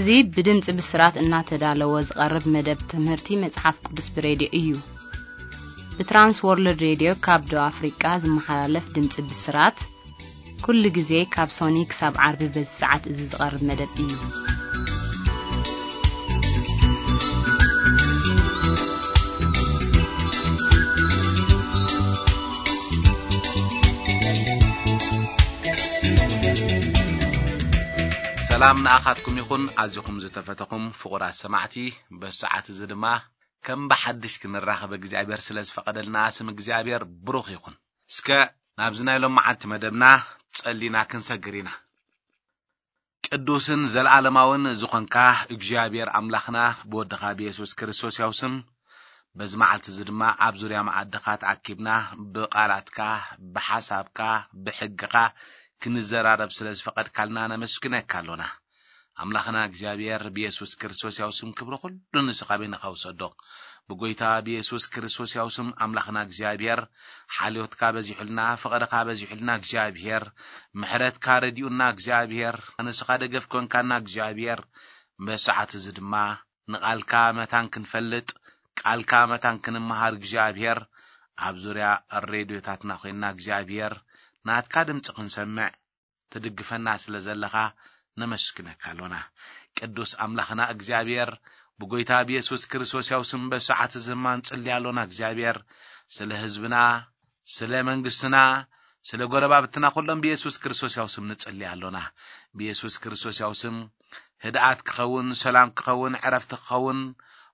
እዚ ብድምፂ ብስራት እናተዳለወ ዝቐርብ መደብ ትምህርቲ መጽሓፍ ቅዱስ ብሬድዮ እዩ። ብትራንስ ወርልድ ሬድዮ ካብ ደቡብ ኣፍሪቃ ዝመሓላለፍ ድምፂ ብስራት፣ ኩሉ ግዜ ካብ ሶኒ ክሳብ ዓርቢ በዚ ሰዓት እዚ ዝቐርብ መደብ እዩ። ሰላም ንኣኻትኩም ይኹን፣ ኣዚኹም ዝተፈተኹም ፍቑራት ሰማዕቲ። በዚ ሰዓት እዚ ድማ ከም ብሓድሽ ክንራኸብ እግዚኣብሔር ስለ ዝፈቐደልና ስም እግዚኣብሔር ብሩኽ ይኹን። እስከ ናብዚ ናይ ሎመዓንቲ መደብና ጸሊና ክንሰግር ኢና። ቅዱስን ዘለዓለማውን ዝኾንካ እግዚኣብሔር ኣምላኽና፣ ብወድኻ ብየሱስ ክርስቶስ ያው ስም በዚ መዓልቲ እዚ ድማ ኣብ ዙርያ መኣድኻ ተኣኪብና ብቓላትካ፣ ብሓሳብካ፣ ብሕግኻ ክንዘራረብ ስለ ዝፈቐድካልና ነመስግነካ ኣሎና። ኣምላኽና እግዚኣብሔር ብየሱስ ክርስቶስ ያው ስም ክብሪ ኩሉ ንስኻ በይንኻ ውሰዶ። ብጎይታ ብየሱስ ክርስቶስ ያው ስም ኣምላኽና እግዚኣብሔር ሓልዮትካ በዚሑልና፣ ፍቕርኻ በዚሑልና እግዚኣብሔር፣ ምሕረትካ ረዲኡና እግዚኣብሔር፣ ንስኻ ደገፍ ኮንካና እግዚኣብሔር፣ በሰዓት እዚ ድማ ንቓልካ መታን ክንፈልጥ፣ ቃልካ መታን ክንመሃር እግዚኣብሔር፣ ኣብ ዙርያ ሬድዮታትና ኮይንና እግዚኣብሔር ናትካ ድምፂ ክንሰምዕ ትድግፈና ስለ ዘለኻ ነመስግነካ ኣሎና። ቅዱስ ኣምላኽና እግዚኣብሔር፣ ብጎይታ ብየሱስ ክርስቶስ ያው ስም በሰዓት እዚ ድማ ንጽሊ ኣሎና እግዚኣብሔር፣ ስለ ህዝብና፣ ስለ መንግስትና፣ ስለ ጎረባብትና ኩሎም ብየሱስ ክርስቶስ ያው ስም ንጽሊ ኣሎና። ብየሱስ ክርስቶስ ያው ስም ህድኣት ክኸውን፣ ሰላም ክኸውን፣ ዕረፍቲ ክኸውን፣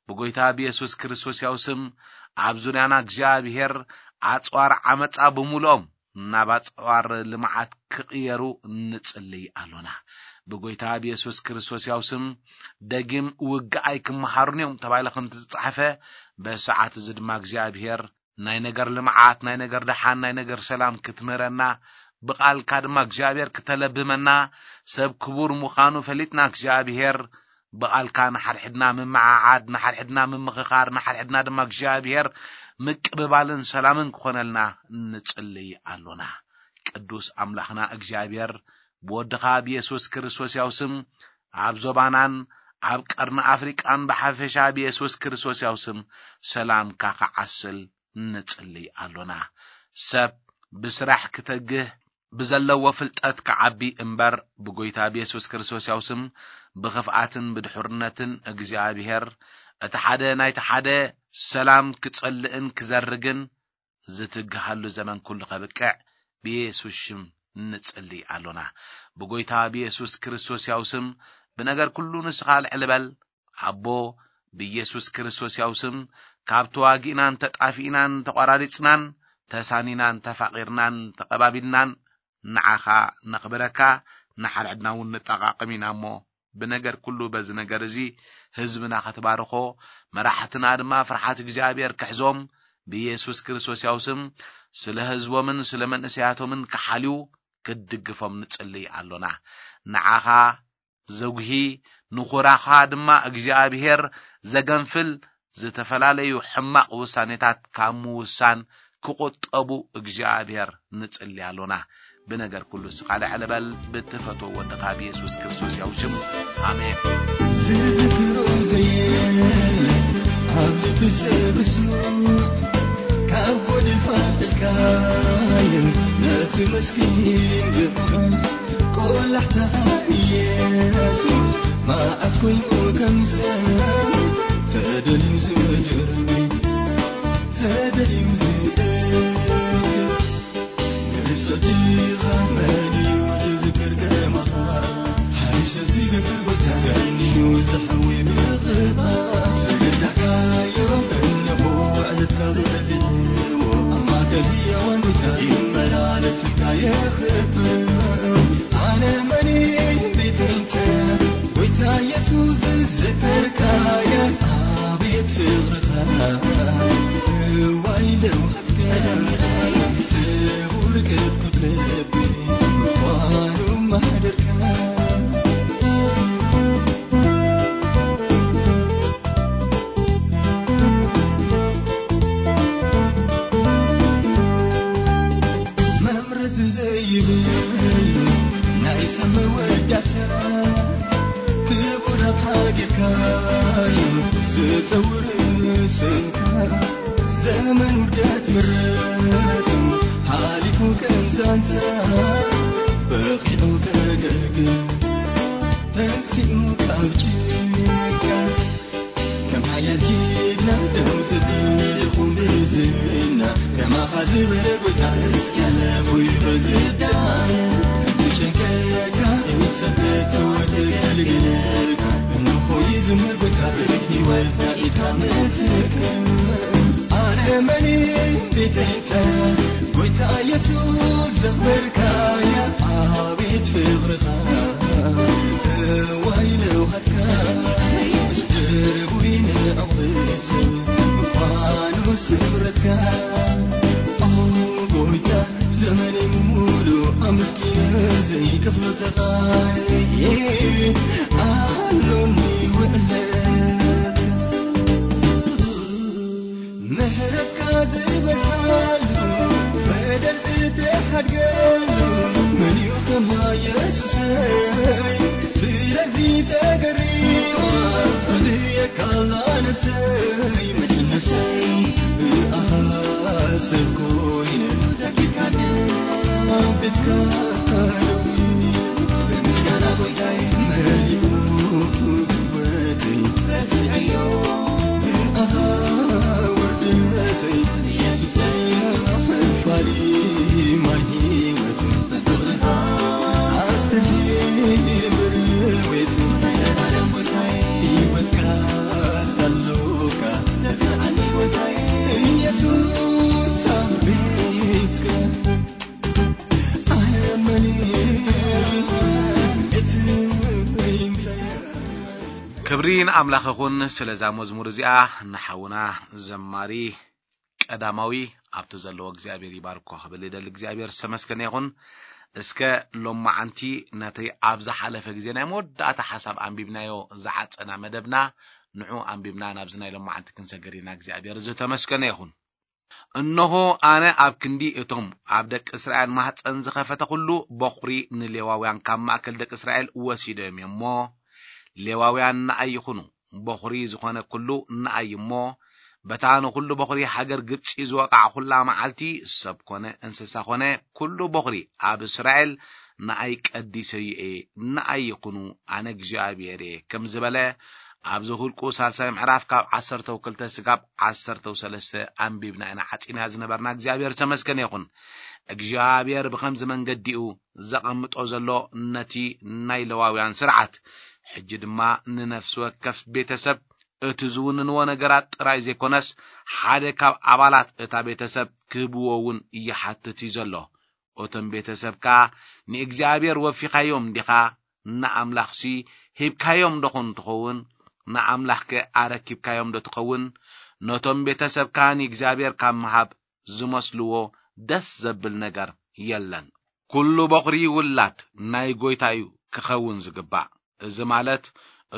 ብጎይታ ብየሱስ ክርስቶስ ያው ስም ኣብ ዙርያና እግዚኣብሔር ኣጽዋር ዓመጻ ብምሉኦም ናብ ኣጽዋር ልምዓት ክቕየሩ ንጽልይ ኣሎና። ብጎይታ ብየሱስ ክርስቶስ ያው ስም ደጊም ውግኣይ ክመሃሩን እዮም ተባሂሉ ከም ዝተጻሕፈ፣ በሰዓት እዚ ድማ እግዚኣብሔር ናይ ነገር ልምዓት፣ ናይ ነገር ደሓን፣ ናይ ነገር ሰላም ክትምህረና፣ ብቓልካ ድማ እግዚኣብሔር ክተለብመና፣ ሰብ ክቡር ምዃኑ ፈሊጥና እግዚኣብሔር ብቓልካ ንሓድሕድና ምምዓዓድ፣ ንሓድሕድና ምምኽኻር፣ ንሓድሕድና ድማ እግዚኣብሔር ምቅብባልን ሰላምን ክኾነልና ንጽልይ ኣሎና። ቅዱስ ኣምላኽና እግዚኣብሔር ብወድኻ ብየሱስ ክርስቶስ ያው ስም ኣብ ዞባናን ኣብ ቀርኒ ኣፍሪቃን ብሓፈሻ ብየሱስ ክርስቶስ ያው ስም ሰላምካ ክዓስል ንጽልይ ኣሎና። ሰብ ብስራሕ ክተግህ ብዘለዎ ፍልጠት ክዓቢ እምበር ብጎይታ ብየሱስ ክርስቶስ ያው ስም ብኽፍኣትን ብድሑርነትን እግዚኣብሔር እቲ ሓደ ናይቲ ሓደ ሰላም ክጸልእን ክዘርግን ዝትግሃሉ ዘመን ኩሉ ከብቅዕ ብየሱስ ሽም ንጽሊ ኣሎና። ብጎይታ ብየሱስ ክርስቶስ ያው ስም ብነገር ኩሉ ንስኻ ልዕሊ በል። ኣቦ፣ ብኢየሱስ ክርስቶስ ያው ስም ካብ ተዋጊእናን ተጣፊእናን ተቋራሪጽናን ተሳኒናን ተፋቒርናን ተቐባቢልናን ንዓኻ ነኽብረካ፣ ንሓድሕድና እውን ንጠቓቕም ኢና እሞ ብነገር ኩሉ በዚ ነገር እዚ ህዝብና ክትባርኾ፣ መራሕትና ድማ ፍርሓት እግዚኣብሔር ክሕዞም ብኢየሱስ ክርስቶስ ያው ስም ስለ ህዝቦምን ስለ መንእሰያቶምን ክሓልዩ ክትድግፎም ንጽልይ ኣሎና። ንዓኻ ዘጉሂ፣ ንኹራኻ ድማ እግዚኣብሔር ዘገንፍል ዝተፈላለዩ ሕማቕ ውሳኔታት ካብ ምውሳን ክቑጠቡ እግዚኣብሔር ንጽሊ ኣሎና። ብነገር ኩሉ ስኻ ልዕሊ በል ብትፈትዎ ወድኻ ብየሱስ ክርስቶስ ያው ሽም። ኣሜን። ዝዝክሮ ዘየለ ኣብ ልቢ ሰብ እሱ ካብ ጎድፍ ኣልዕልካዮ ነቲ መስኪን ድኻ ቆላሕታ ኢየሱስ መዓስ ኮይኑ ከም ሰብ ተደልዩ ዝድርቢ ተደልዩ ዝእክብ ንርእሰትኻ መን እዩ ዝዝክር ከማኻ ሓሪሰት ዝገብር ጎይታ ዘንዩ ዝሕዊ ብቕባት ዝግዳካዮ እነሆ ዕለትካ ብለዚዎ ኣብ ማእከል ህያዋን ጎይታ ይመላለስካ የኽብር ኣነ መን ቤተይተ ጎይታ የሱስ ዝዝከርካያ ኣቤት ፍቕርኻ እዋይ ደው ተጸውር ስምካ ዘመን ውርደት ምረቱ ሓሊፉ ከም ዛንታ በቂዑ ከገልግል ተንሲኡ ካብ ጭንቀት ከም ሓያል ጅግና ደው ዝብል ይኹን ብዝና ከማኻ ዝበለ ጎይታ እስኪ ኣለፉ ይበል ዝዳነ ከምቲ ጨንቀካ ይውሰድ ተወት ከልግልካ እንሆ ይዝምር ጎይታ ህይወት ናኢካ ምስክር ኣነ መን ቤተይተ ጎይታ ኢየሱስ ዘኽበርካያ ኣቤት ፍቕርኻ እዋይ ለውሃትካ ድርቡይ ንዕቕብስ ምዃኑ ስምረትካ ኦ ጎይታ ዘመነይ ሙሉ ኣመስጊነ ዘይከፍሎ ተቓንየ ኣሎኒ ውዕለት ምሕረትካ ዝበዝሓሉ በደል ትተሓድገሉ መን እዩ ከማ የሱሰይ ስለዚ ተገሪማ እብየካላ ነብሰይ መድን ነብሰይ ብኣኻ ሰብ ኮይነ ዘኪርካኒ ቤትካ ብምስጋና ጎይታይ መሊኡ ህይወተይ ረሲዐዮ ብኣኻ ውርደተይ ኢየሱሰይ ፈፋሊ ማይ ህይወት ብፍቕርኻ ኣስተምር ቤት ዘላለም ጎይታይ ህይወትካ ኣሎካ ዘስረዓኒ ጎይታይ ኢየሱስ ኣብ ቤትካ ኣነ መን እቲ እንታይ ክብሪ ንኣምላኽ ይኹን። ስለዛ መዝሙር እዚኣ ንሓውና ዘማሪ ቀዳማዊ ኣብቲ ዘለዎ እግዚኣብሔር ይባርኮ ክብል ይደሊ እግዚኣብሔር ዝተመስገነ ይኹን። እስከ ሎማዓንቲ ነቲ ኣብ ዝሓለፈ ግዜ ናይ መወዳእታ ሓሳብ ኣንቢብናዮ ዝዓፀና መደብና ንዑ ኣንቢብና ናብዚ ናይ ሎማዓንቲ ክንሰግር ኢና እግዚኣብሔር ዝተመስገነ ይኹን። እነሆ ኣነ ኣብ ክንዲ እቶም ኣብ ደቂ እስራኤል ማህፀን ዝኸፈተ ኩሉ በኹሪ ንሌዋውያን ካብ ማእከል ደቂ እስራኤል ወሲዶም እዮም እሞ ሌዋውያን ንኣይ ይኹኑ። በኹሪ ዝኾነ ኩሉ ንኣይ እሞ በታ ንኹሉ በኹሪ ሃገር ግብፂ ዝወቃዕ ኩላ መዓልቲ ሰብ ኮነ እንስሳ ኮነ ኩሉ በኹሪ ኣብ እስራኤል ንኣይ ቀዲሰዩ እየ። ንኣይ ይኹኑ ኣነ እግዚኣብሔር እየ ከም ዝበለ ኣብዚ ሁልቁ ሳልሳይ ምዕራፍ ካብ ዓሰርተው ክልተ ስጋብ ዓሰርተው ሰለስተ ኣንቢብና ኢና ዓፂና ዝነበርና እግዚኣብሔር ተመስገነ ይኹን። እግዚኣብሔር ብኸምዚ መንገዲኡ ዘቐምጦ ዘሎ ነቲ ናይ ለዋውያን ስርዓት ሕጂ ድማ ንነፍሲ ወከፍ ቤተሰብ እቲ ዝውንንዎ ነገራት ጥራይ ዘይኮነስ ሓደ ካብ ኣባላት እታ ቤተሰብ ክህብዎ እውን ይሓትት እዩ ዘሎ። እቶም ቤተሰብካ ንእግዚኣብሔር ወፊኻዮም ዲኻ? ንኣምላኽሲ ሂብካዮም ዶ ኾን ትኸውን? ንኣምላኽከ ኣረኪብካዮም ዶ ትኸውን? ነቶም ቤተሰብካ ንእግዚኣብሔር ካብ ምሃብ ዝመስልዎ ደስ ዘብል ነገር የለን። ኩሉ በኹሪ ውላድ ናይ ጎይታ እዩ ክኸውን ዝግባእ። እዚ ማለት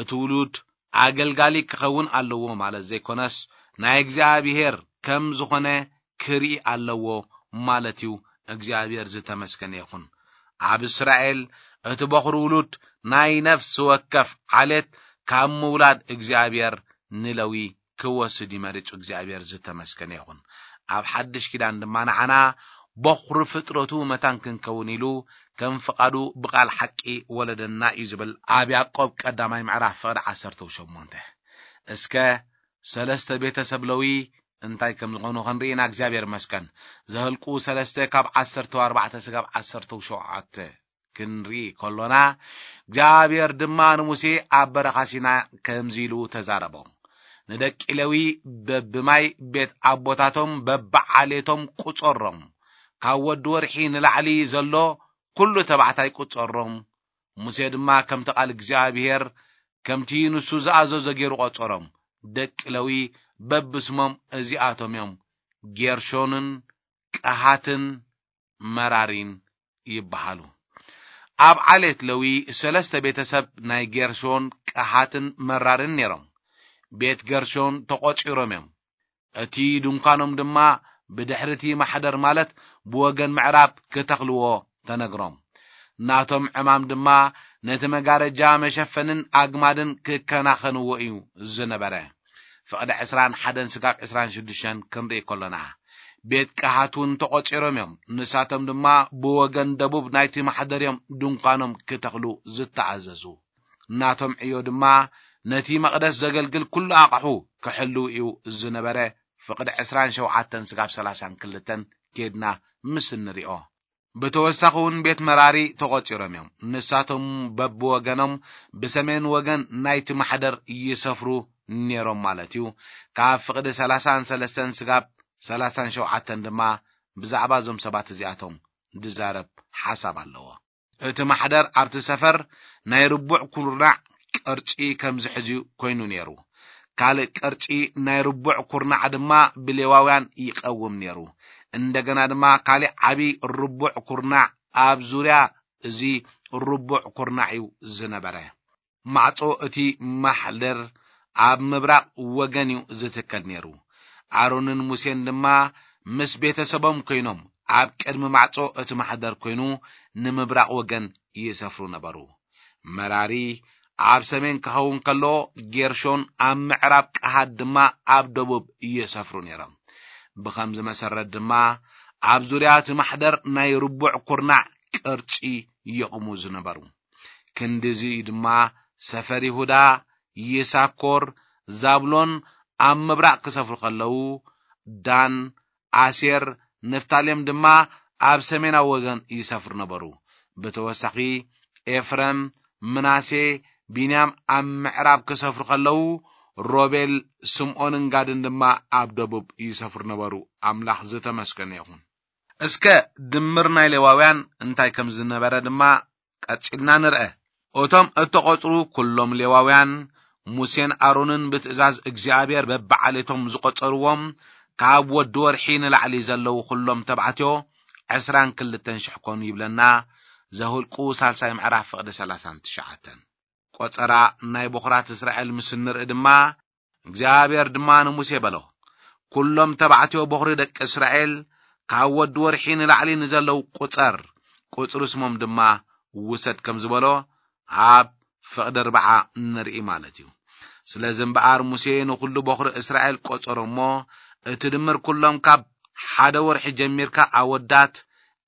እቲ ውሉድ ኣገልጋሊ ክኸውን ኣለዎ ማለት ዘይኮነስ ናይ እግዚኣብሔር ከም ዝኾነ ክርኢ ኣለዎ ማለት እዩ። እግዚኣብሔር ዝተመስገነ ይኹን። ኣብ እስራኤል እቲ በኹሪ ውሉድ ናይ ነፍሲ ወከፍ ዓሌት ካብ ምውላድ እግዚኣብሔር ንለዊ ክወስድ ይመሪጹ እግዚኣብሔር ዝተመስገነ ይኹን። ኣብ ሓድሽ ኪዳን ድማ ንዓና በኹሪ ፍጥረቱ መታን ክንከውን ኢሉ ከም ፍቓዱ ብቓል ሓቂ ወለደና እዩ ዝብል ኣብ ያዕቆብ ቀዳማይ ምዕራፍ ፍቕዲ ዓሰርተ ሸሞንተ። እስከ ሰለስተ ቤተሰብ ለዊ እንታይ ከም ዝኾኑ ክንርኢ ኢና እግዚኣብሔር መስቀን ዘህልቁ ሰለስተ ካብ ዓሰርተ ኣርባዕተ ስጋብ ዓሰርተ ሸውዓተ ክንርኢ ከሎና እግዚኣብሔር ድማ ንሙሴ ኣብ በረኻ ሲና ከምዚ ኢሉ ተዛረቦ። ንደቂ ሌዊ በብማይ ቤት ኣቦታቶም በብዓሌቶም ቁጸሮም፣ ካብ ወዲ ወርሒ ንላዕሊ ዘሎ ኩሉ ተባዕታይ ቁጸሮም። ሙሴ ድማ ከምቲ ቃል እግዚኣብሔር ከምቲ ንሱ ዝኣዘዞ ገይሩ ቆጸሮም። ደቂ ሌዊ በብስሞም እዚኣቶም እዮም፣ ጌርሾንን ቀሃትን መራሪን ይበሃሉ። ኣብ ዓሌት ለዊ ሰለስተ ቤተሰብ ናይ ጌርሾን ቀሃትን መራርን ነይሮም። ቤት ገርሾን ተቖጺሮም እዮም። እቲ ድንኳኖም ድማ ብድሕሪ እቲ ማሕደር ማለት ብወገን ምዕራብ ክተኽልዎ ተነግሮም። ናቶም ዕማም ድማ ነቲ መጋረጃ መሸፈንን ኣግማድን ክከናኸንዎ እዩ ዝነበረ። ፍቕዲ ዕስራን ሓደን ስጋብ ዕስራን ሽዱሽተን ክንርኢ ከሎና፣ ቤት ቀሃት እውን ተቖጺሮም እዮም። ንሳቶም ድማ ብወገን ደቡብ ናይቲ ማሕደር እዮም ድንኳኖም ክተኽሉ ዝተኣዘዙ። ናቶም ዕዮ ድማ ነቲ መቕደስ ዘገልግል ኩሉ ኣቕሑ ክሕልው እዩ ዝነበረ። ፍቕዲ ዕስራን ሸውዓተን ስጋብ ሰላሳን ክልተን ኬድና ምስ እንሪኦ። ብተወሳኺ እውን ቤት መራሪ ተቖጺሮም እዮም። ንሳቶም በብወገኖም ብሰሜን ወገን ናይቲ ማሕደር ይሰፍሩ ነይሮም ማለት እዩ። ካብ ፍቕዲ ሰላሳን ሰለስተን ስጋብ ሰላሳን ሸውዓተን ድማ ብዛዕባ እዞም ሰባት እዚኣቶም ዝዛረብ ሓሳብ ኣለዎ። እቲ ማሕደር ኣብቲ ሰፈር ናይ ርቡዕ ኩርናዕ ቅርጺ ከም ዝሕዝዩ ኮይኑ ነይሩ። ካልእ ቅርጺ ናይ ርቡዕ ኩርናዕ ድማ ብሌዋውያን ይቐውም ነይሩ። እንደገና ድማ ካልእ ዓቢ ርቡዕ ኩርናዕ ኣብ ዙርያ እዚ ርቡዕ ኩርናዕ እዩ ዝነበረ። ማዕጾ እቲ ማሕደር ኣብ ምብራቕ ወገን እዩ ዝትከል ነይሩ። ኣሮንን ሙሴን ድማ ምስ ቤተሰቦም ኮይኖም ኣብ ቅድሚ ማዕጾ እቲ ማሕደር ኮይኑ ንምብራቕ ወገን ይሰፍሩ ነበሩ። መራሪ ኣብ ሰሜን ክኸውን ከሎ፣ ጌርሾን ኣብ ምዕራብ፣ ቀሃት ድማ ኣብ ደቡብ ይሰፍሩ ነይሮም። ብኸምዚ መሰረት ድማ ኣብ ዙርያ እቲ ማሕደር ናይ ርቡዕ ኩርናዕ ቅርጺ ይቕሙ ዝነበሩ። ክንድዚ ድማ ሰፈር ይሁዳ፣ ይሳኮር፣ ዛብሎን ኣብ ምብራቕ ክሰፍሩ ከለዉ፣ ዳን፣ ኣሴር፣ ንፍታሌም ድማ ኣብ ሰሜናዊ ወገን ይሰፍሩ ነበሩ። ብተወሳኺ ኤፍረም፣ ምናሴ፣ ቢንያም ኣብ ምዕራብ ክሰፍሩ ከለዉ፣ ሮቤል፣ ስምዖንን ጋድን ድማ ኣብ ደቡብ ይሰፍሩ ነበሩ። ኣምላኽ ዝተመስገነ ይኹን። እስከ ድምር ናይ ሌዋውያን እንታይ ከም ዝነበረ ድማ ቀጺልና ንርአ። እቶም እተቖጽሩ ኩሎም ሌዋውያን፣ ሙሴን ኣሮንን ብትእዛዝ እግዚኣብሔር በብዓሌቶም ዝቖጸርዎም፣ ካብ ወዲ ወርሒ ንላዕሊ ዘለዉ ኩሎም ተባዕትዮ ዕስራን ክልተን ሽሕ ኮኑ ይብለና። ዘሁልቁ ሳልሳይ ምዕራፍ ፍቕዲ ሰላሳን ትሽዓተን። ቆጸራ ናይ በኹራት እስራኤል ምስ እንርኢ ድማ፣ እግዚኣብሔር ድማ ንሙሴ በሎ፣ "ኩሎም ተባዕትዮ በኹሪ ደቂ እስራኤል፣ ካብ ወዲ ወርሒ ንላዕሊ ንዘለዉ ቁጸር፣ ቁጽሪ ስሞም ድማ ውሰድ" ከም ዝበሎ ኣብ ፍቕዲ ኣርብዓ ንርኢ ማለት እዩ። ስለዚ እምበኣር ሙሴ ንኹሉ በኹሪ እስራኤል ቆጸሮ እሞ፣ እቲ ድምር ኩሎም ካብ ሓደ ወርሒ ጀሚርካ ኣወዳት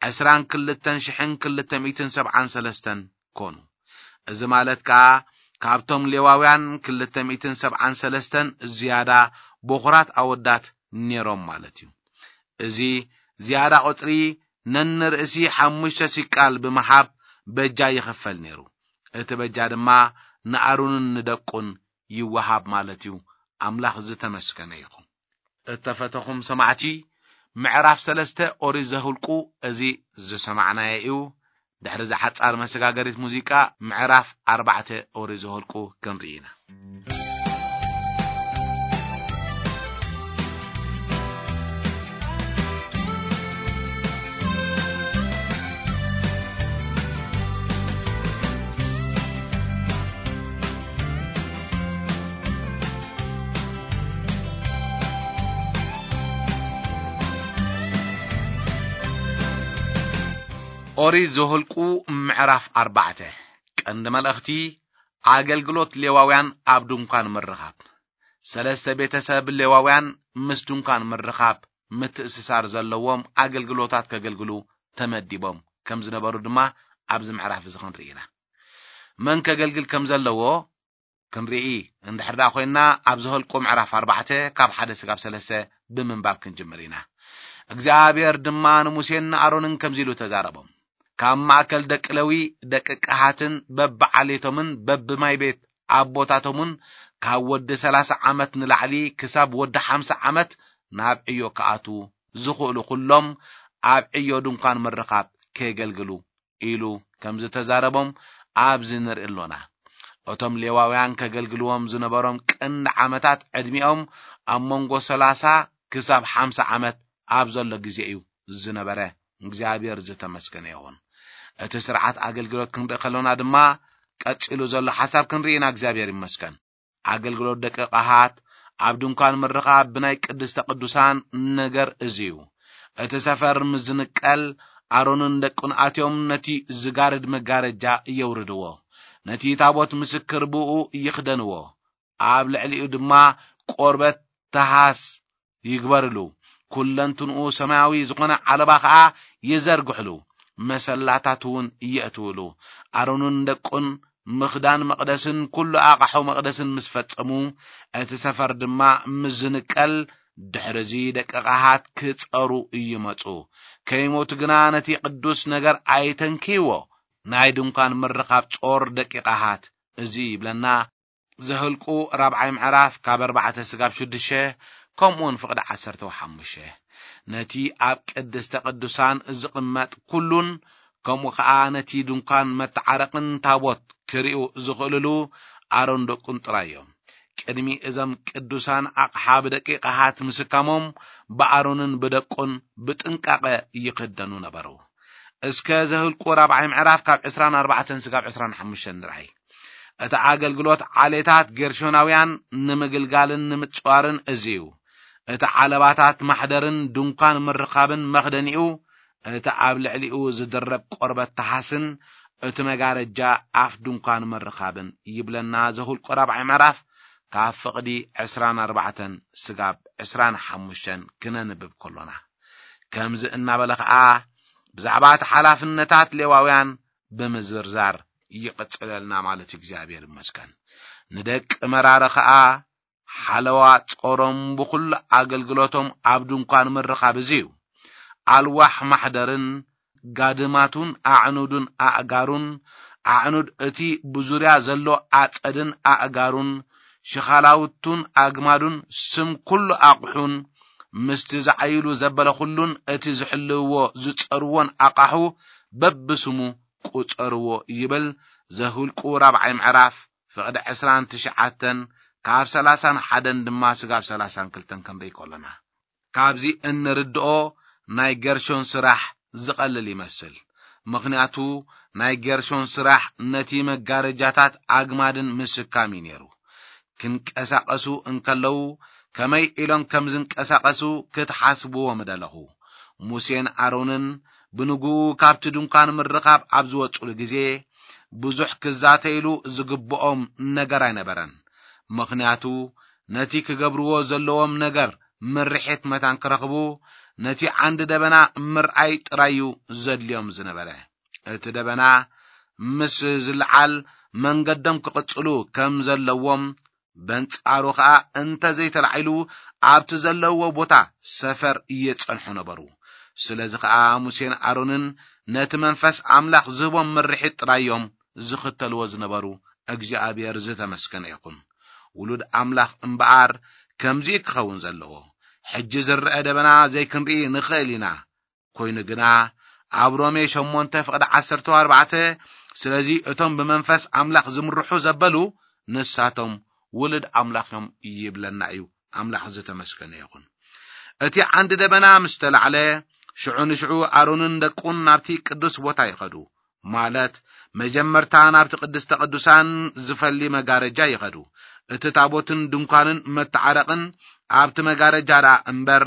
ዕስራን ክልተን ሽሕን ክልተ ሚእትን ሰብዓን ሰለስተን ኮኑ። እዚ ማለት ከኣ ካብቶም ሌዋውያን ክልተ ሚእትን ሰብዓን ሰለስተን ዝያዳ በኹራት ኣወዳት ነይሮም ማለት እዩ። እዚ ዝያዳ ቁጽሪ ነንርእሲ ሓሙሽተ ሲቃል ብምሃብ በጃ ይኽፈል ነይሩ። እቲ በጃ ድማ ንኣሮንን ንደቁን ይወሃብ ማለት እዩ። ኣምላኽ ዝተመስገነ ይኹን። እተፈተኹም ሰማዕቲ፣ ምዕራፍ ሰለስተ ኦሪት ዘሁልቁ እዚ ዝሰማዕናዮ እዩ። ድሕሪ እዛ ሓጻር መሰጋገሪት ሙዚቃ፣ ምዕራፍ ኣርባዕተ ኦሪት ዘሁልቁ ክንርኢ ኢና። ኦሪት ዘኍልቁ ምዕራፍ ኣርባዕተ። ቀንዲ መልእኽቲ፣ ኣገልግሎት ሌዋውያን ኣብ ድንኳን ምርኻብ። ሰለስተ ቤተሰብ ሌዋውያን ምስ ድንኳን ምርኻብ ምትእስሳር ዘለዎም ኣገልግሎታት ከገልግሉ ተመዲቦም ከም ዝነበሩ ድማ ኣብዚ ምዕራፍ እዚ ክንርኢ ኢና። መን ከገልግል ከም ዘለዎ ክንርኢ እንድሕር ደኣ ኮይንና፣ ኣብ ዘኍልቁ ምዕራፍ ኣርባዕተ ካብ ሓደ ስጋብ ሰለስተ ብምንባብ ክንጅምር ኢና። እግዚኣብሔር ድማ ንሙሴን ንኣሮንን ከምዚ ኢሉ ተዛረቦም። ካብ ማእከል ደቂ ሌዊ፣ ደቂ ቀሃትን በብዓሌቶምን በብማይ ቤት ኣቦታቶምን፣ ካብ ወዲ ሠላሳ ዓመት ንላዕሊ ክሳብ ወዲ ሓምሳ ዓመት፣ ናብ ዕዮ ክኣትዉ ዝኽእሉ ኹሎም ኣብ ዕዮ ድንኳን ምርኻብ ከገልግሉ ኢሉ ከም ዝተዛረቦም ኣብዚ ንርኢ ኣሎና። እቶም ሌዋውያን ከገልግልዎም ዝነበሮም ቀንዲ ዓመታት ዕድሚኦም ኣብ መንጎ ሠላሳ ክሳብ ሓምሳ ዓመት ኣብ ዘሎ ግዜ እዩ ዝነበረ። እግዚኣብሔር ዝተመስገነ ይኹን። እቲ ስርዓት ኣገልግሎት ክንርኢ ከሎና ድማ፣ ቀጺሉ ዘሎ ሓሳብ ክንርኢ ኢና። እግዚኣብሔር ይመስገን። ኣገልግሎት ደቂ ቀሃት ኣብ ድንኳን ምርኻብ ብናይ ቅድስተ ቅዱሳን ነገር እዚ እዩ። እቲ ሰፈር ምስ ዝንቀል፣ ኣሮንን ደቁን ኣትዮም ነቲ ዝጋርድ መጋረጃ የውርድዎ። ነቲ ታቦት ምስክር ብኡ ይኽደንዎ። ኣብ ልዕሊኡ ድማ ቆርበት ተሃስ ይግበርሉ። ኩለንትንኡ ሰማያዊ ዝኾነ ዓለባ ኸኣ ይዘርግሕሉ፣ መሰላታት እውን የእትውሉ። ኣሮንን ደቁን ምኽዳን መቕደስን ኩሉ ኣቕሑ መቕደስን ምስ ፈጸሙ፣ እቲ ሰፈር ድማ ምስ ዝንቀል፣ ድሕርዚ ደቂ ቀሃት ክጸሩ ይመጹ። ከይሞቱ ግና ነቲ ቅዱስ ነገር ኣይተንክይዎ። ናይ ድንኳን ምርኻብ ጾር ደቂ ቀሃት እዚ ይብለና። ዘህልቁ ራብዓይ ምዕራፍ ካብ ኣርባዕተ ስጋብ ሽዱሽተ፣ ከምኡውን ፍቕዲ ዓሰርተ ሓሙሽተ። ነቲ ኣብ ቅድስተ ቅዱሳን ዝቕመጥ ኩሉን፣ ከምኡ ኸኣ ነቲ ድንኳን መተዓረቕን ታቦት ክርእዩ ዝኽእልሉ ኣሮን ደቁን ጥራይ እዮም። ቅድሚ እዞም ቅዱሳን ኣቕሓ ብደቂ ቀሃት ምስካሞም፣ ብኣሮንን ብደቁን ብጥንቃቐ ይኽደኑ ነበሩ። እስከ ዘህልቁ ራብዓይ ምዕራፍ ካብ ዕስራን ኣርባዕተን ስጋብ ዕስራን ሓሙሽተን ንርኣይ። እቲ ኣገልግሎት ዓሌታት ጌርሾናውያን ንምግልጋልን ንምጽዋርን እዚ እዩ። እቲ ዓለባታት ማሕደርን ድንኳን ምርኻብን መኽደኒኡ፣ እቲ ኣብ ልዕሊኡ ዝድረብ ቆርበት ተሓስን እቲ መጋረጃ ኣፍ ድንኳን ምርኻብን ይብለና ዘሁልቆ ራብዓይ ምዕራፍ ካብ ፍቕዲ ዕስራን ኣርባዕተን ስጋብ ዕስራን ሓሙሽተን ክነንብብ ከሎና። ከምዚ እናበለ ኸኣ ብዛዕባ እቲ ሓላፍነታት ሌዋውያን ብምዝርዛር ይቕጽለልና ማለት እዩ። እግዚኣብሔር ይመስገን። ንደቂ መራሪ ኸኣ ሓለዋ ጾሮም ብኹሉ ኣገልግሎቶም ኣብ ድንኳን ምርኻብ እዚ እዩ። ኣልዋሕ ማሕደርን ጋድማቱን ኣዕኑድን ኣእጋሩን፣ ኣዕኑድ እቲ ብዙርያ ዘሎ ኣጸድን ኣእጋሩን፣ ሽኻላውቱን ኣግማዱን፣ ስም ኩሉ ኣቕሑን፣ ምስቲ ዝዓይሉ ዘበለ ኩሉን እቲ ዝሕልውዎ ዝጸርዎን ኣቓሑ በብስሙ ቁጸርዎ ይብል ዘሁልቁ ራብዓይ ምዕራፍ ፍቕዲ ዕስራን ትሽዓተን ካብ ሰላሳን ሓደን ድማ ስጋብ ሰላሳን ክልተን ክንርኢ ከሎና። ካብዚ እንርድኦ ናይ ገርሾን ስራሕ ዝቐልል ይመስል። ምኽንያቱ ናይ ገርሾን ስራሕ ነቲ መጋረጃታት ኣግማድን ምስካም እዩ ነይሩ። ክንቀሳቐሱ እንከለዉ ከመይ ኢሎም ከም ዝንቀሳቐሱ ክትሓስብዎ ምደለኹ። ሙሴን ኣሮንን ብንግኡ ካብቲ ድንኳን ምርኻብ ኣብ ዝወጹሉ ግዜ ብዙሕ ክዛተይሉ ዝግብኦም ነገር ኣይነበረን። ምኽንያቱ ነቲ ክገብርዎ ዘለዎም ነገር ምርሒት መታን ክረኽቡ ነቲ ዓንዲ ደበና ምርኣይ ጥራይ እዩ ዘድልዮም ዝነበረ። እቲ ደበና ምስ ዝለዓል መንገዶም ክቕጽሉ ከም ዘለዎም፣ በንጻሩ ኸኣ እንተ ዘይተላዒሉ ኣብቲ ዘለውዎ ቦታ ሰፈር እየጸንሑ ነበሩ። ስለዚ ኸኣ ሙሴን ኣሮንን ነቲ መንፈስ ኣምላኽ ዝህቦም ምርሒት ጥራይ እዮም ዝኽተልዎ ዝነበሩ። እግዚኣብሔር ዝተመስገነ ይኹን። ውሉድ ኣምላኽ እምበኣር ከምዚ ክኸውን ዘለዎ። ሕጂ ዝረአ ደበና ዘይክንርኢ ንኽእል ኢና። ኮይኑ ግና ኣብ ሮሜ ሸሞንተ ፍቕዲ ዓሰርተ ኣርባዕተ፣ ስለዚ እቶም ብመንፈስ ኣምላኽ ዝምርሑ ዘበሉ ንሳቶም ውሉድ ኣምላኽ እዮም ይብለና እዩ። ኣምላኽ ዝተመስገነ ይኹን። እቲ ዓንዲ ደበና ምስ ተላዕለ፣ ሽዑ ንሽዑ ኣሮንን ደቁን ናብቲ ቅዱስ ቦታ ይኸዱ። ማለት መጀመርታ ናብቲ ቅድስተ ቅዱሳን ዝፈሊ መጋረጃ ይኸዱ። እቲ ታቦትን ድንኳንን መተዓረቕን ኣብቲ መጋረጃ ደኣ እምበር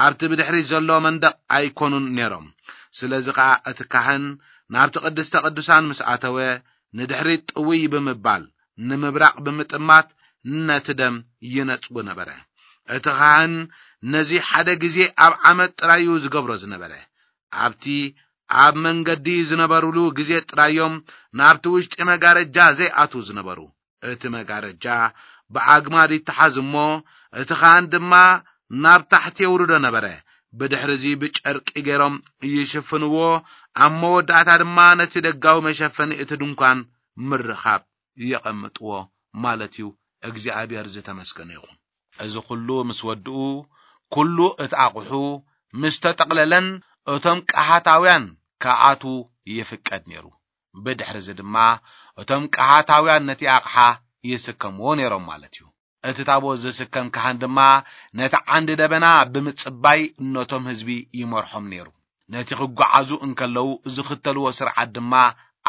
ኣብቲ ብድሕሪት ዘሎ መንደቕ ኣይኮኑን ነይሮም። ስለዚ ኸኣ እቲ ካህን ናብቲ ቅድስተ ቅዱሳን ምስ ኣተወ ንድሕሪት ጥውይ ብምባል ንምብራቕ ብምጥማት ነቲ ደም ይነጽጉ ነበረ። እቲ ካህን ነዚ ሓደ ግዜ ኣብ ዓመት ጥራይ እዩ ዝገብሮ ዝነበረ። ኣብቲ ኣብ መንገዲ ዝነበሩሉ ግዜ ጥራይ እዮም ናብቲ ውሽጢ መጋረጃ ዘይኣትዉ ዝነበሩ። እቲ መጋረጃ ብኣግማድ ይተሓዝ እሞ፣ እቲ ኻህን ድማ ናብ ታሕቲ የውርዶ ነበረ። ብድሕርዚ ብጨርቂ ገይሮም ይሽፍንዎ፣ ኣብ መወዳእታ ድማ ነቲ ደጋዊ መሸፈኒ እቲ ድንኳን ምርኻብ የቐምጥዎ ማለት እዩ። እግዚኣብሔር ዝተመስገነ ይኹን። እዚ ኩሉ ምስ ወድኡ፣ ኩሉ እቲ ኣቑሑ ምስ ተጠቕለለን፣ እቶም ቀሃታውያን ክኣትዉ ይፍቀድ ነይሩ። ብድሕርዚ ድማ እቶም ቀሃታውያን ነቲ ኣቕሓ ይስከምዎ ነይሮም ማለት እዩ። እቲ ታቦት ዝስከም ካህን ድማ ነቲ ዓንዲ ደበና ብምጽባይ ነቶም ህዝቢ ይመርሖም ነይሩ። ነቲ ክጓዓዙ እንከለዉ ዝኽተልዎ ስርዓት ድማ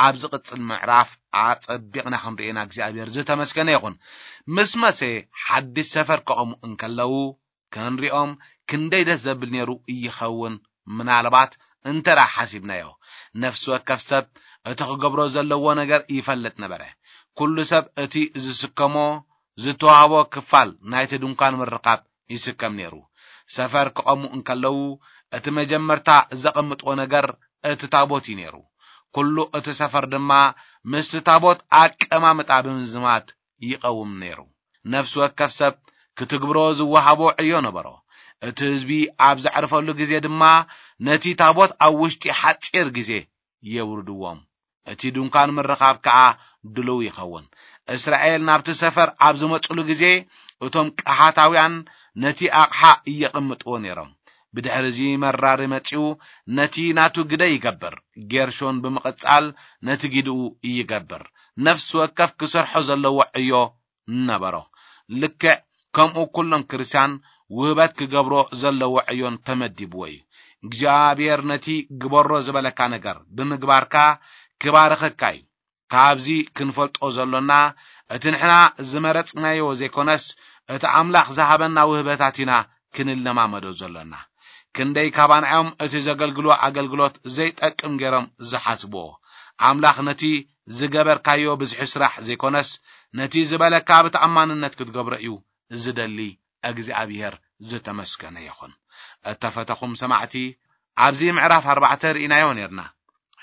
ኣብ ዝቕጽል ምዕራፍ ኣጸቢቕና ክንርእየና እግዚኣብሔር ዝተመስገነ ይኹን። ምስ መሴ ሓድሽ ሰፈር ከቐሙ እንከለዉ ክንሪኦም ክንደይ ደስ ዘብል ነይሩ ይኸውን። ምናልባት እንተ ደኣ ሓሲብናዮ፣ ነፍሲ ወከፍ ሰብ እቲ ክገብሮ ዘለዎ ነገር ይፈልጥ ነበረ። ኩሉ ሰብ እቲ ዝስከሞ ዝተዋህቦ ክፋል ናይቲ ድንኳን ምርኻብ ይስከም ነይሩ። ሰፈር ክቐሙ እንከለዉ፣ እቲ መጀመርታ ዘቐምጥዎ ነገር እቲ ታቦት እዩ ነይሩ። ኩሉ እቲ ሰፈር ድማ ምስቲ ታቦት ኣቀማምጣ ብምዝማድ ይቐውም ነይሩ። ነፍሲ ወከፍ ሰብ ክትግብሮ ዝወሃቦ ዕዮ ነበሮ። እቲ ህዝቢ ኣብ ዘዕርፈሉ ግዜ ድማ ነቲ ታቦት ኣብ ውሽጢ ሓጺር ግዜ የውርድዎም። እቲ ድንኳን ምርኻብ ከኣ ድሉው ይኸውን። እስራኤል ናብቲ ሰፈር ኣብ ዝመጽሉ ግዜ፣ እቶም ቀሃታውያን ነቲ ኣቕሓ እየቐምጥዎ ነይሮም። ብድሕርዚ መራሪ መጺኡ ነቲ ናቱ ግደ ይገብር። ጌርሾን ብምቕጻል ነቲ ጊድኡ ይገብር። ነፍሲ ወከፍ ክሰርሖ ዘለዎ ዕዮ ነበሮ። ልክዕ ከምኡ ኩሎም ክርስትያን ውህበት ክገብሮ ዘለዎ ዕዮን ተመዲብዎ እዩ። እግዚኣብሔር ነቲ ግበሮ ዝበለካ ነገር ብምግባርካ ክባርኸካ እዩ። ካብዚ ክንፈልጦ ዘሎና፣ እቲ ንሕና ዝመረጽናዮ ዘይኮነስ፣ እቲ ኣምላኽ ዝሃበና ውህበታት ኢና ክንለማመዶ ዘሎና። ክንደይ ካባና እዮም እቲ ዘገልግሎ ኣገልግሎት ዘይጠቅም ገይሮም ዝሓስብዎ? ኣምላኽ ነቲ ዝገበርካዮ ብዝሒ ስራሕ ዘይኮነስ፣ ነቲ ዝበለካ ብተኣማንነት ክትገብሮ እዩ ዝደሊ። እግዚኣብሔር ዝተመስገነ ይኹን። እተፈተኹም ሰማዕቲ፣ ኣብዚ ምዕራፍ ኣርባዕተ ርኢናዮ ነርና።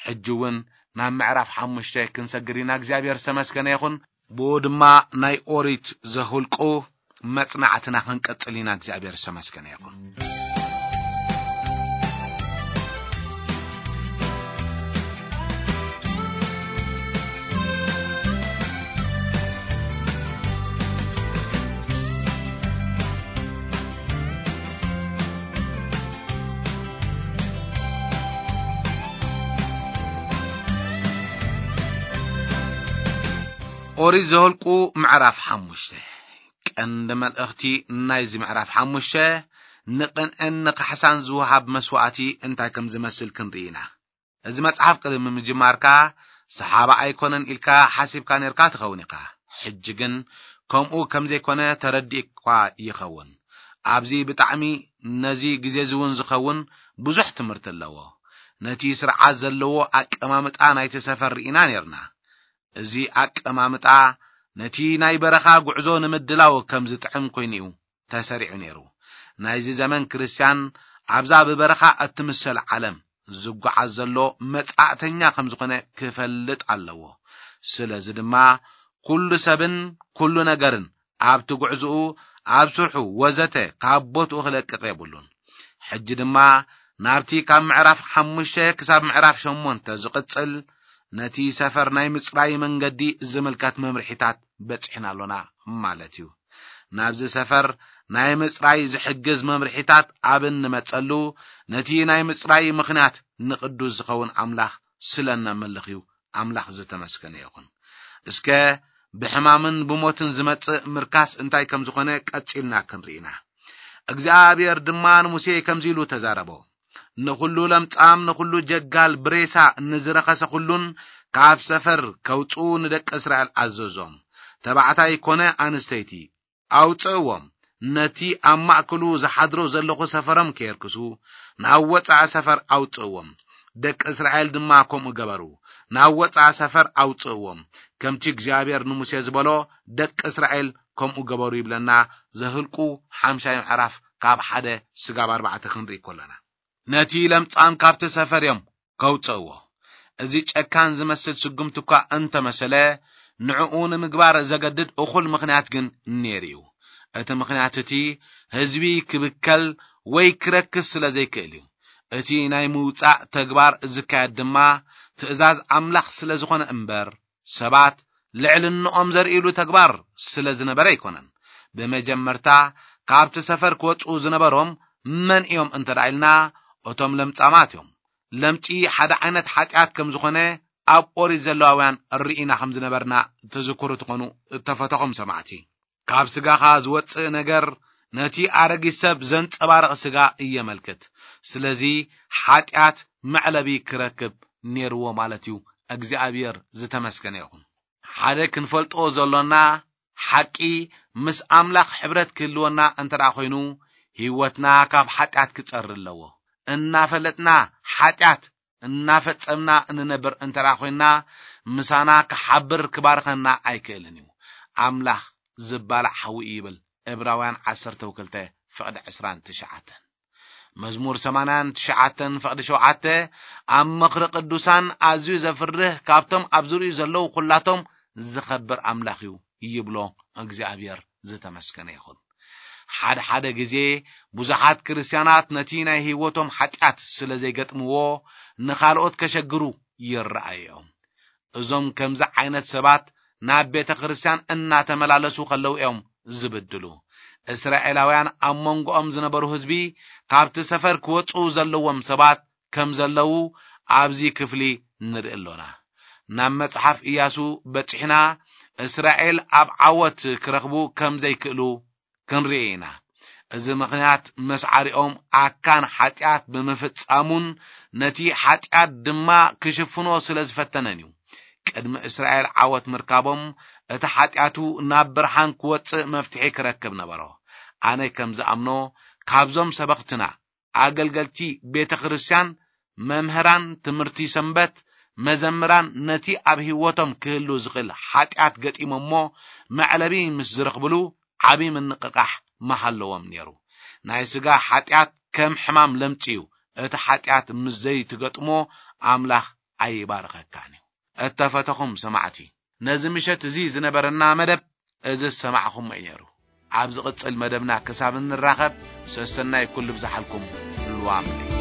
ሕጂ እውን ናብ ምዕራፍ ሓሙሽተ ክንሰግር ኢና። እግዚኣብሔር ዝተመስገነ ይኹን። ብኡ ድማ ናይ ኦሪት ዘሁልቁ መጽናዕትና ክንቀጽል ኢና። እግዚኣብሔር ዝተመስገነ ይኹን። ኦሪት ዘኍልቁ ምዕራፍ ሓሙሽተ። ቀንዲ መልእኽቲ ናይዚ ምዕራፍ ሓሙሽተ፣ ንቕንዕን ንካሕሳን ዝወሃብ መስዋእቲ እንታይ ከም ዝመስል ክንርኢ ኢና። እዚ መጽሓፍ ቅድሚ ምጅማርካ ሰሓባ ኣይኮነን ኢልካ ሓሲብካ ነርካ ትኸውን ኢኻ። ሕጂ ግን ከምኡ ከም ዘይኮነ ተረዲእኳ ይኸውን። ኣብዚ ብጣዕሚ ነዚ ግዜ እዚ እውን ዝኸውን ብዙሕ ትምህርቲ ኣለዎ። ነቲ ስርዓት ዘለዎ ኣቀማምጣ ናይቲ ሰፈር ርኢና ነርና። እዚ ኣቀማምጣ ነቲ ናይ በረኻ ጉዕዞ ንምድላው ከም ዝጥዕም ኮይኑ እዩ ተሰሪዑ ነይሩ። ናይዚ ዘመን ክርስትያን ኣብዛ ብበረኻ እትምሰል ዓለም ዝጓዓዝ ዘሎ መጻእተኛ ከም ዝኾነ ክፈልጥ ኣለዎ። ስለዚ ድማ ኩሉ ሰብን ኩሉ ነገርን ኣብቲ ጉዕዝኡ፣ ኣብ ስርሑ ወዘተ ካብ ቦትኡ ክለቅቕ የብሉን። ሕጂ ድማ ናብቲ ካብ ምዕራፍ ሓሙሽተ ክሳብ ምዕራፍ ሸሞንተ ዝቕጽል ነቲ ሰፈር ናይ ምጽራይ መንገዲ ዝምልከት መምርሒታት በጺሕና ኣሎና ማለት እዩ። ናብዚ ሰፈር ናይ ምጽራይ ዝሕግዝ መምርሒታት ኣብ እንመጸሉ፣ ነቲ ናይ ምጽራይ ምኽንያት ንቕዱስ ዝኸውን ኣምላኽ ስለ እነምልኽ እዩ። ኣምላኽ ዝተመስገነ ይኹን። እስከ ብሕማምን ብሞትን ዝመጽእ ምርካስ እንታይ ከም ዝኾነ ቀጺልና ክንርኢ ኢና። እግዚኣብሔር ድማ ንሙሴ ከምዚ ኢሉ ተዛረቦ። ንኹሉ ለምጻም፣ ንኹሉ ጀጋል ብሬሳ፣ ንዝረኸሰ ኩሉን ካብ ሰፈር ከውጽኡ ንደቂ እስራኤል ኣዘዞም። ተባዕታይ ኮነ ኣንስተይቲ ኣውጽእዎም። ነቲ ኣብ ማእከሉ ዝሓድሮ ዘለኹ ሰፈሮም ከየርክሱ ናብ ወጻኢ ሰፈር ኣውጽእዎም። ደቂ እስራኤል ድማ ከምኡ ገበሩ። ናብ ወጻኢ ሰፈር ኣውጽእዎም። ከምቲ እግዚኣብሔር ንሙሴ ዝበሎ ደቂ እስራኤል ከምኡ ገበሩ ይብለና። ዘህልቁ ሓምሻይ ምዕራፍ ካብ ሓደ ስጋብ ኣርባዕተ ክንርኢ ከለና። ነቲ ለምጻም ካብቲ ሰፈር እዮም ከውጽእዎ። እዚ ጨካን ዝመስል ስጉምቲ እኳ እንተመሰለ፣ ንዕኡ ንምግባር ዘገድድ እኹል ምኽንያት ግን ነይሩ እዩ። እቲ ምኽንያት እቲ ህዝቢ ክብከል ወይ ክረክስ ስለ ዘይክእል እዩ። እቲ ናይ ምውጻእ ተግባር ዝካየድ ድማ ትእዛዝ ኣምላኽ ስለ ዝኾነ እምበር፣ ሰባት ልዕልንኦም ዘርእሉ ተግባር ስለ ዝነበረ ኣይኮነን። ብመጀመርታ ካብቲ ሰፈር ክወጽኡ ዝነበሮም መን እዮም እንተ ደኣ ኢልና፣ እቶም ለምጻማት እዮም። ለምጺ ሓደ ዓይነት ሓጢኣት ከም ዝኾነ ኣብ ኦሪት ዘለዋውያን ርኢና ከም ዝነበርና ትዝክሩ ትኾኑ፣ እተፈተኹም ሰማዕቲ። ካብ ስጋኻ ዝወጽእ ነገር ነቲ ኣረጊት ሰብ ዘንጸባርቕ ስጋ እየመልክት። ስለዚ ሓጢኣት መዕለቢ ክረክብ ነይርዎ ማለት እዩ። እግዚኣብሔር ዝተመስገነ ይኹን። ሓደ ክንፈልጦ ዘሎና ሓቂ፣ ምስ ኣምላኽ ሕብረት ክህልወና እንተ ደኣ ኮይኑ፣ ህይወትና ካብ ሓጢኣት ክጸሪ ኣለዎ። እናፈለጥና ሓጢኣት እናፈጸምና እንነብር እንተ ደኣ ኮይንና፣ ምሳና ክሓብር ክባርኸና ኣይክእልን እዩ። ኣምላኽ ዝባላዕ ሓዊ እዩ ይብል ዕብራውያን ዓሰርተ ክልተ ፍቕዲ ዕስራን ትሽዓተን። መዝሙር ሰማንያን ትሽዓተን ፍቕዲ ሸውዓተ ኣብ ምኽሪ ቅዱሳን ኣዝዩ ዘፍርህ፣ ካብቶም ኣብ ዙርዩ ዘለዉ ኩላቶም ዝኸብር ኣምላኽ እዩ ይብሎ። እግዚኣብሔር ዝተመስገነ ይኹን። ሓደ ሓደ ግዜ ብዙሓት ክርስትያናት ነቲ ናይ ህይወቶም ሓጢኣት ስለ ዘይገጥምዎ ንኻልኦት ከሸግሩ ይረኣዩ እዮም። እዞም ከምዚ ዓይነት ሰባት ናብ ቤተ ክርስቲያን እናተመላለሱ ከለዉ እዮም ዝብድሉ። እስራኤላውያን ኣብ መንጎኦም ዝነበሩ ህዝቢ ካብቲ ሰፈር ክወጹ ዘለዎም ሰባት ከም ዘለዉ ኣብዚ ክፍሊ ንርኢ ኣሎና። ናብ መጽሓፍ ኢያሱ በጺሕና እስራኤል ኣብ ዓወት ክረኽቡ ከም ዘይክእሉ ክንርኢ ኢና። እዚ ምኽንያት መስዓሪኦም ኣካን ሓጢኣት ብምፍጻሙን ነቲ ሓጢኣት ድማ ክሽፍኖ ስለ ዝፈተነን እዩ። ቅድሚ እስራኤል ዓወት ምርካቦም እቲ ሓጢኣቱ ናብ ብርሃን ክወጽእ መፍትሒ ክረክብ ነበሮ። ኣነ ከም ዝኣምኖ ካብዞም ሰበኽትና ኣገልገልቲ ቤተ ክርስቲያን፣ መምህራን ትምህርቲ ሰንበት፣ መዘምራን ነቲ ኣብ ህይወቶም ክህሉ ዝኽእል ሓጢኣት ገጢሞሞ መዕለቢ ምስ ዝረኽብሉ ዓቢ ምንቕቓሕ ምሃለዎም ነይሩ። ናይ ስጋ ሓጢኣት ከም ሕማም ለምጺ እዩ። እቲ ሓጢኣት ምስ ዘይትገጥሞ ኣምላኽ ኣይባርኸካን እዩ። እተፈተኹም ሰማዕቲ፣ ነዚ ምሸት እዚ ዝነበረና መደብ እዚ ዝሰማዕኹሞ እዩ ነይሩ። ኣብ ዝቕጽል መደብና ክሳብ እንራኸብ ሰሰናይ ኩሉ ብዝሓልኩም። ልዋም ለይቲ።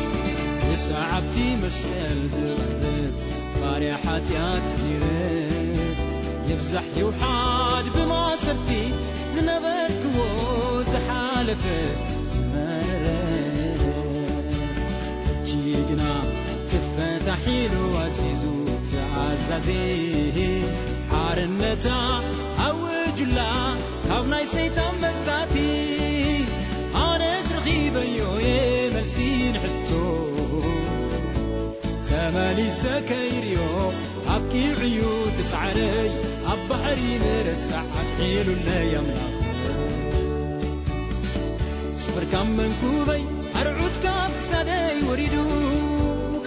ብሰዓብቲ መስቀል ዝቐርብ ባርያ ሓጢኣት ይረድ። ይብዛሕ ይውሓድ ብማሰርቲ ዝነበርክዎ ዝሓለፈ ዝመረረ። ሕጂ ግና ትፈታሕ ኢሉ ኣዚዙ ተኣዛዚ ሓርነታ ኣውጁላ ካብ ናይ ሰይጣን መግዛእቲ። ኣነስ ረኺበዮ እየ መልሲ ንሕቶ ተመሊሰ ከይርዮ ኣብቂዑ እዩ እቲ ጻዕረይ ኣብ ባሕሪ ምርሳዕ ኣትሒሉለይ ኣምላኽ። ጾር ካብ መንኩበይ ኣርዑት ካብ ክሳደይ ወሪዱ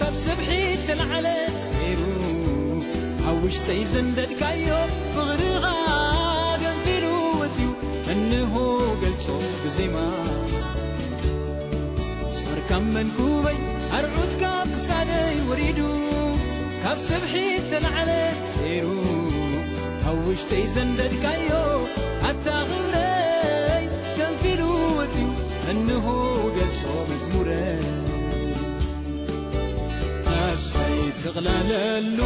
ካብ ሰብሒ ተላዕለ ሰይሩ ኣብ ውሽጠይ ዘንደድካዮ ፍቕርኻ ገንፊሉ ወፅዩ እንሆ ገልጾ ብዜማ። ጾር ካብ መንኩበይ ኣርዑት ካብ ክሳደይ ወሪዱ ካብ ሰብሒ ተላዕለ ሰይሩ ኣብ ውሽጠይ ዘንደድካዮ ኣታ ክብረይ ገንፊሉ ወፅዩ እንሆ ገልጾ መዝሙረይ። ነፍሰይ ትቕለለሉ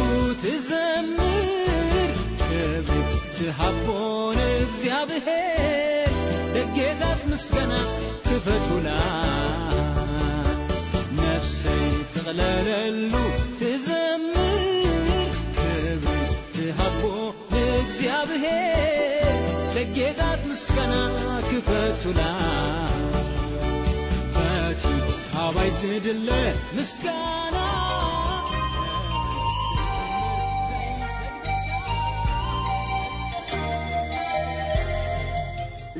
ትዘምር ክብሪ ትሃቦ ንእግዚኣብሔር ደጌታት ምስጋና ክፈቱላ። ነፍሰይ ትቕለለሉ ትዘምር ክብሪ ትሃቦ ንእግዚኣብሔር ደጌታት ምስጋና ክፈቱላ። በቲ ካባይ ዝድለ ምስጋና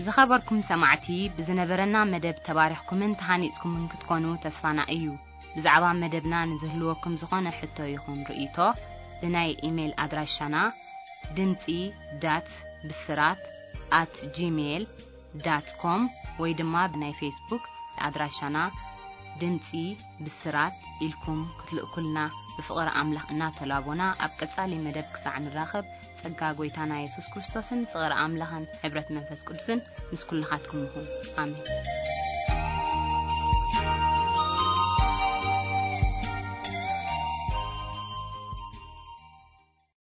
ዝኸበርኩም ሰማዕቲ፣ ብዝነበረና መደብ ተባሪኽኩምን ተሃኒጽኩምን ክትኮኑ ተስፋና እዩ። ብዛዕባ መደብና ንዝህልወኩም ዝኾነ ሕቶ ይኹን ርእይቶ፣ ብናይ ኢሜይል ኣድራሻና ድምጺ ዳት ብስራት ኣት ጂሜይል ዳት ኮም ወይ ድማ ብናይ ፌስቡክ ኣድራሻና ድምጺ ብስራት ኢልኩም ክትልእኩልና ብፍቕሪ ኣምላኽ እናተላቦና፣ ኣብ ቀጻሊ መደብ ክሳዕ ንራኸብ፣ ጸጋ ጐይታና የሱስ ክርስቶስን ፍቕሪ ኣምላኽን ሕብረት መንፈስ ቅዱስን ምስ ኩልኻትኩም ይኹን። ኣሜን።